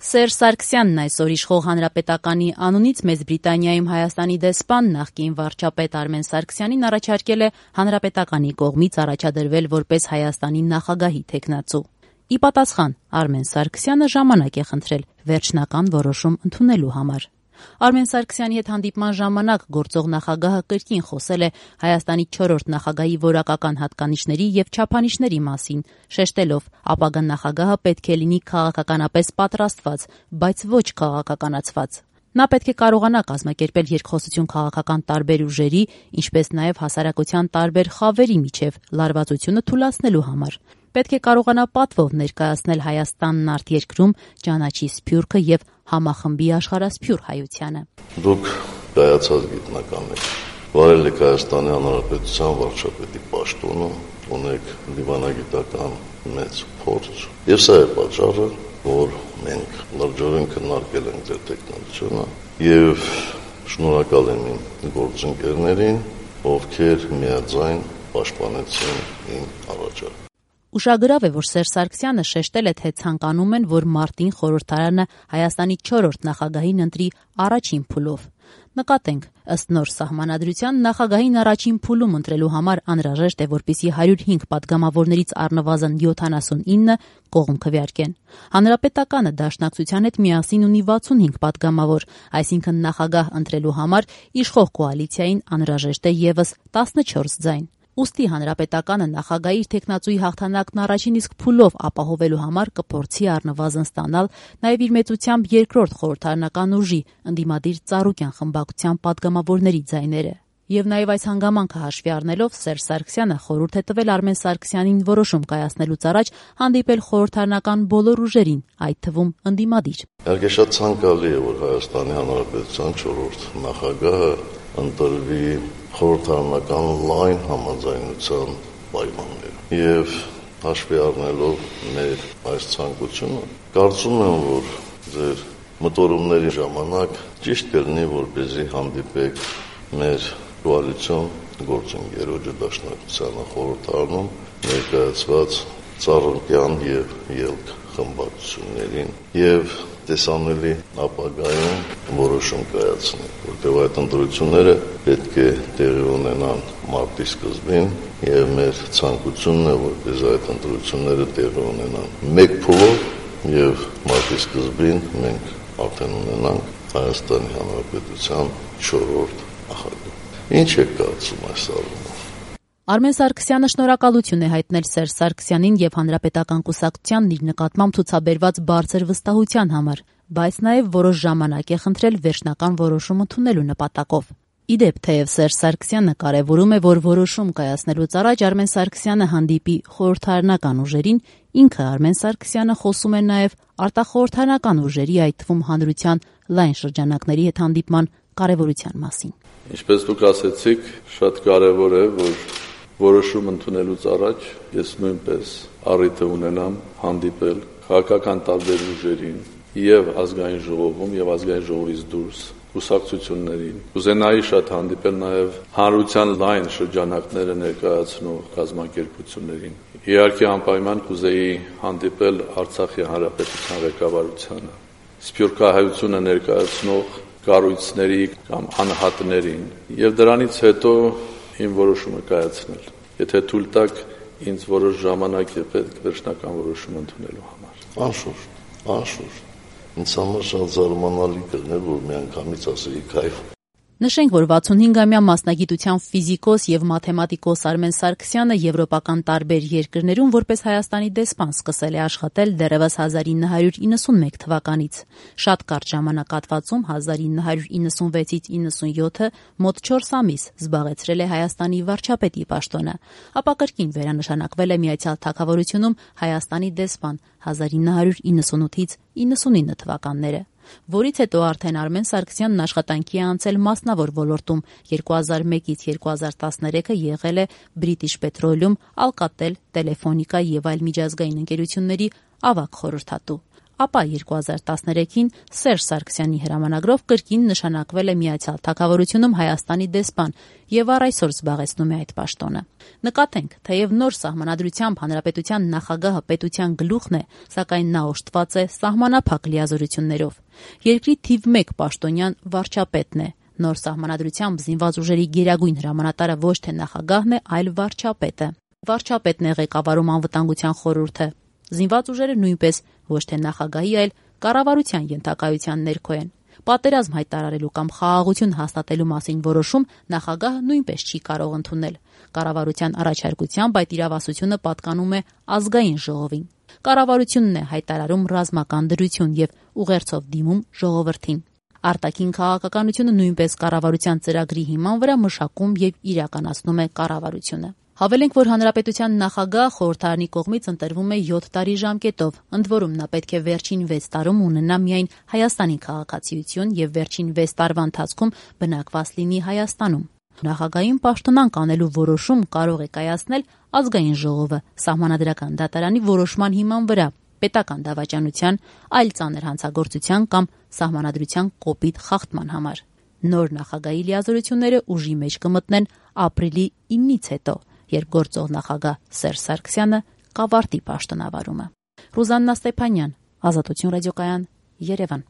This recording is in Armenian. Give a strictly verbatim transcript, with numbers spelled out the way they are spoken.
Սերժ Սարգսյանն այսօր իշխող Հանրապետականի անունից Մեծ Բրիտանիայում Հայաստանի դեսպան նախկին վարչապետ Արմեն Սարգսյանին առաջարկել է Հանրապետականի կողմից առաջադրվել որպես Հայաստանի նախագահի թեկնածու։ Ի պատասխան Արմեն Սարգսյանը ժամանակ է խնդրել վերջնական որոշում ընդունելու համար։ Արմեն Սարգսյանի հետ հանդիպման ժամանակ գործող նախագահը կրկին խոսել է Հայաստանի չորրորդ նախագահի որակական հատկանիշների և չափանիշների մասին, շեշտելով ապագա նախագահը պետք է լինի քաղաքականապես պատրաստված, բայց ոչ քաղաքականացված։ Նա պետք է կարողանա կազմակերպել երկխոսություն քաղաքական տարբեր ուժերի, ինչպես նաև հասարակության տարբեր խավերի միջև լարվածությունը թուլացնելու համար։ Պետք է կարողանա պատվով ներկայացնել Հայաստանն արտերկրում, ճանաչի սփյուռքը և համախմբի աշխարհասփյուռ հայությանը։ Դուք կայացած գիտնական եք, վարել եք Հայաստանի Հանրապետության վարչապետի պաշտոնը, ունեք դիվանագիտական մեծ փորձ, եւ սա է պատճառը, որ մենք լրջորեն քննարկել ենք ձեր տեխնոլոգիությունը եւ շնորհակալ եմ իմ գործընկերներին, ովքեր միաձայն պաշտպանեցին իմ առաջարկը։ Ուշագրավ է, որ Սերժ Սարգսյանը շեշտել է, թե ցանկանում են, որ մարտին խորհրդարանը Հայաստանի չորրորդ նախագահին ընտրի առաջին փուլով։ Նկատենք, ըստ նոր սահմանադրության նախագահին առաջին փուլում ընտրելու համար անհրաժեշտ է, որպեսզի հարյուր հինգ պատգամավորներից առնվազն յոթանասունինը կողմ քվեարկեն։ Հանրապետականը Դաշնակցության հետ միասին ունի վաթսունհինգ պատգամավոր, այսինքն նախագահ ընտրելու համար իշխող կոալիցիային անհրաժեշտ է ևս տասնչորս ձայն։ Ուստի Հանրապետականը նախագահի իր թեկնածուի հաղթանակն առաջին իսկ փուլով ապահովելու համար կփորձի առնվազն ստանալ նաև իր մեծությամբ երկրորդ խորհրդարանական ուժի ընդդիմադիր Ծառուկյան խմբակցության պատգամավորների ձայները։ Եվ նաև այս հանգամանքը հաշվի առնելով Սերժ Սարգսյանը խորհուրդ է տվել Արմեն Սարգսյանին որոշում կայացնելուց առաջ հանդիպել խորհրդարանական բոլոր ուժերին, այդ թվում ընդդիմադիր։ Իհարկե շատ ցանկալի է, որ Հայաստանի Հանրապետության չորրորդ նախագահը ընտրվի խորհրդարանական լայն համաձայնության պայմաններով եւ հաշվի առնելով մեր այս ցանկությունը, կարծում եմ, որ ձեր մտորումների ժամանակ ճիշտ կլինի, որպեսզի հանդիպեք մեր կոալիցիոն գործընկերոջը Դաշնակցությանը խորհրդարանում ներկայացված Ծառուկյան եւ Ելք խմբակցություններին եւ տեսանելի ապագայում որոշում կայացնել, որտեղ այդ ընտրությունները պետք է տեղի ունենան մարտի սկզբին եւ մեր ցանկությունն է, որպես այդ ընտրությունները տեղի ունենան մեկ փուլով եւ մարտի սկզբին մենք արդեն ունենանք Հայաստանի Հանրապետության չորրորդ նախագահ։ Ինչ եք կարծում այս առումով։ Արմեն Սարգսյանը շնորհակալություն է հայտնել Սերժ Սարգսյանին եւ Հանրապետական կուսակցությանն իր նկատմամբ ցուցաբերված բարձր վստահության համար, բայց նաեւ որոշ ժամանակ է խնդրել վերջնական որոշում ընդունելու նպատակով։ Ի դեպ, թեև Սերժ Սարգսյանը կարևորում է, որ որոշում կայացնելուց առաջ Արմեն Սարգսյանը հանդիպի խորհրդարանական ուժերին, ինքը Արմեն Սարգսյանը խոսում է նաեւ արտախորհրդարանական ուժերի, այդ թվում հանրության լայն շրջանակների հետ հանդիպման կարևորության մասին։ Ինչպես դուք ասեցիք, շատ կարևոր է, որ որոշում ընդունելուց առաջ ես նույնպես առիթ ունենամ հանդիպել քաղաքական տարբեր ուժերին եւ ազգային ժողովում եւ ազգային ժողովից դուրս կուսակցություններին։ Կուզենայի շատ հանդիպել նաեւ հանրության լայն շրջանակները ներկայացնող կազմակերպություններին։ Իհարկե անպայման կուզեի հանդիպել Արցախի հանրապետության ղեկավարությանը, սփյուռքահայությունը ներկայացնող կառույցների կամ անհատներին եւ դրանից հետո իմ որոշումը կայացնել։ Եթե թույլ տաք, ինձ որոշ ժամանակ է պետք վերջնական որոշում ընդունելու համար։ Անշուշտ, անշուշտ։ Ինձ համար շատ զարմանալի կլներ, որ միանգամից ասեի կայֆ։ Նշենք, որ վաթսունհինգամյա մասնագիտությամբ ֆիզիկոս եւ մաթեմատիկոս Արմեն Սարգսյանը եվրոպական տարբեր երկրներում որպես Հայաստանի դեսպան սկսել է աշխատել դեռևս հազար ինը հարյուր իննսունմեկ թվականից։ Շատ կարճ ժամանակահատվածում հազար ինը հարյուր իննսունվեցից իննսունյոթը մոտ չորս ամիս զբաղեցրել է Հայաստանի վարչապետի պաշտոնը, ապա կրկին վերանշանակվել է Միացյալ Թագավորությունում Հայաստանի դեսպան հազար ինը հարյուր իննսունութից իննսունինը թվականները, որից հետո արդեն Արմեն Սարգսյանն աշխատանքի է անցել մասնավոր ոլորտում, երկու հազար մեկից երկու հազար տասներեքը եղել է British Petroleum, Alcatel, Telefónica եւ այլ միջազգային ընկերությունների ավագ խորհրդատու։ ապա երկու հազար տասներեքին Սերժ Սարգսյանի հրամանագրով կրկին նշանակվել է Միացյալ Թագավորությունում Հայաստանի դեսպան եւ առ այսօր զբաղեցնում է այդ պաշտոնը։ Նկատենք, թեև նոր սահմանադրությամբ հանրապետության նախագահը պետության գլուխն է, սակայն նա օժտված է սահմանափակ լիազորություններով։ Երկրի թիվ մեկ պաշտոնյան վարչապետն է։ Նոր սահմանադրությամբ զինված ուժերի գերագույն հրամանատարը ոչ թե նախագահն է, այլ վարչապետը։ Վարչապետն է ղեկավարում անվտանգության խորհուրդը։ Զինված ուժերը նույնպես ոչ թե նախագահի, այլ կառավարության ենթակայության ներքո են։ Պատերազմ հայտարարելու կամ խաղաղություն հաստատելու մասին որոշում նախագահը նույնպես չի կարող ընդունել։ Կառավարության առաջարկությամբ այդ իրավասությունը պատկանում է ազգային ժողովին։ Կառավարությունն է հայտարարում ռազմական դրություն եւ ուղերձով դիմում ժողովրդին։ Արտաքին քաղաքականությունը նույնպես կառավարության ծրագրի հիման վրա մշակում եւ իրականացնում է կառավարությունը։ Հավելենք, որ հանրապետության նախագահ խորհրդարանի կողմից ընտրվում է յոթ տարի ժամկետով, ընդ որում նա պետք է վերջին վեց տարում ունենա միայն Հայաստանի քաղաքացիություն եւ վերջին վեց տարվա ընթացքում բնակված լինի Հայաստանում։ Նախագահային պաշտոնանկ անելու որոշում կարող է կայացնել ազգային ժողովը սահմանադրական դատարանի որոշման հիման վրա, պետական դավաճանության, այլ ծանր հանցագործության կամ սահմանադրության կոպիտ խախտման համար։ Նոր նախագահի լիազորությունները ուժի մեջ կմտնեն ապրիլի ինից հետո, երբ գործող նախագահ Սերժ Սարգսյանը կավարտի պաշտոնավարումը։ Ռուզաննա Ստեփանյան, Ազատություն ռադիոկայան, Երևան։